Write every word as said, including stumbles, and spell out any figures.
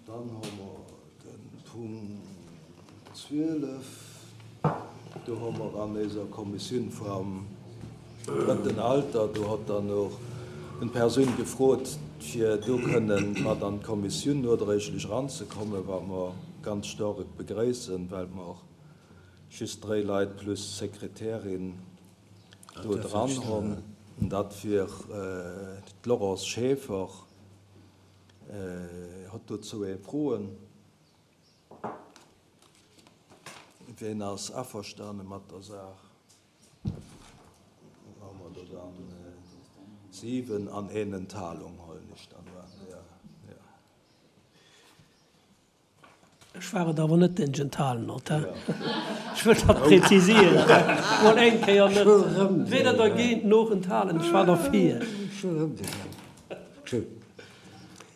Dann hu mer de Punkt zwielef. Do hu mer an eiser Kommissioun vum drëtten Alter, do hat dann och eng Persoun gefrot, fir do kënnen mat an d'Kommissioun nodréiglech eranzekommen, wat mer ganz staark begréissen, well mer och just dräi Leit plus Sekretärin do dran hunn. Dat wier d'Laurence Schaeffer. Huet dozou ee Froen? Wien ass averstane mat der Saach? Hu mer do dann siwen an een Enthalung, huelen ech dann un. Jo, jo. Ech war et awer net, deen sech enthalen huet. Ech wëll dat prezisieren. Mol eng Kéier net. Weder dergéint noch enthalen. Ech war derfir.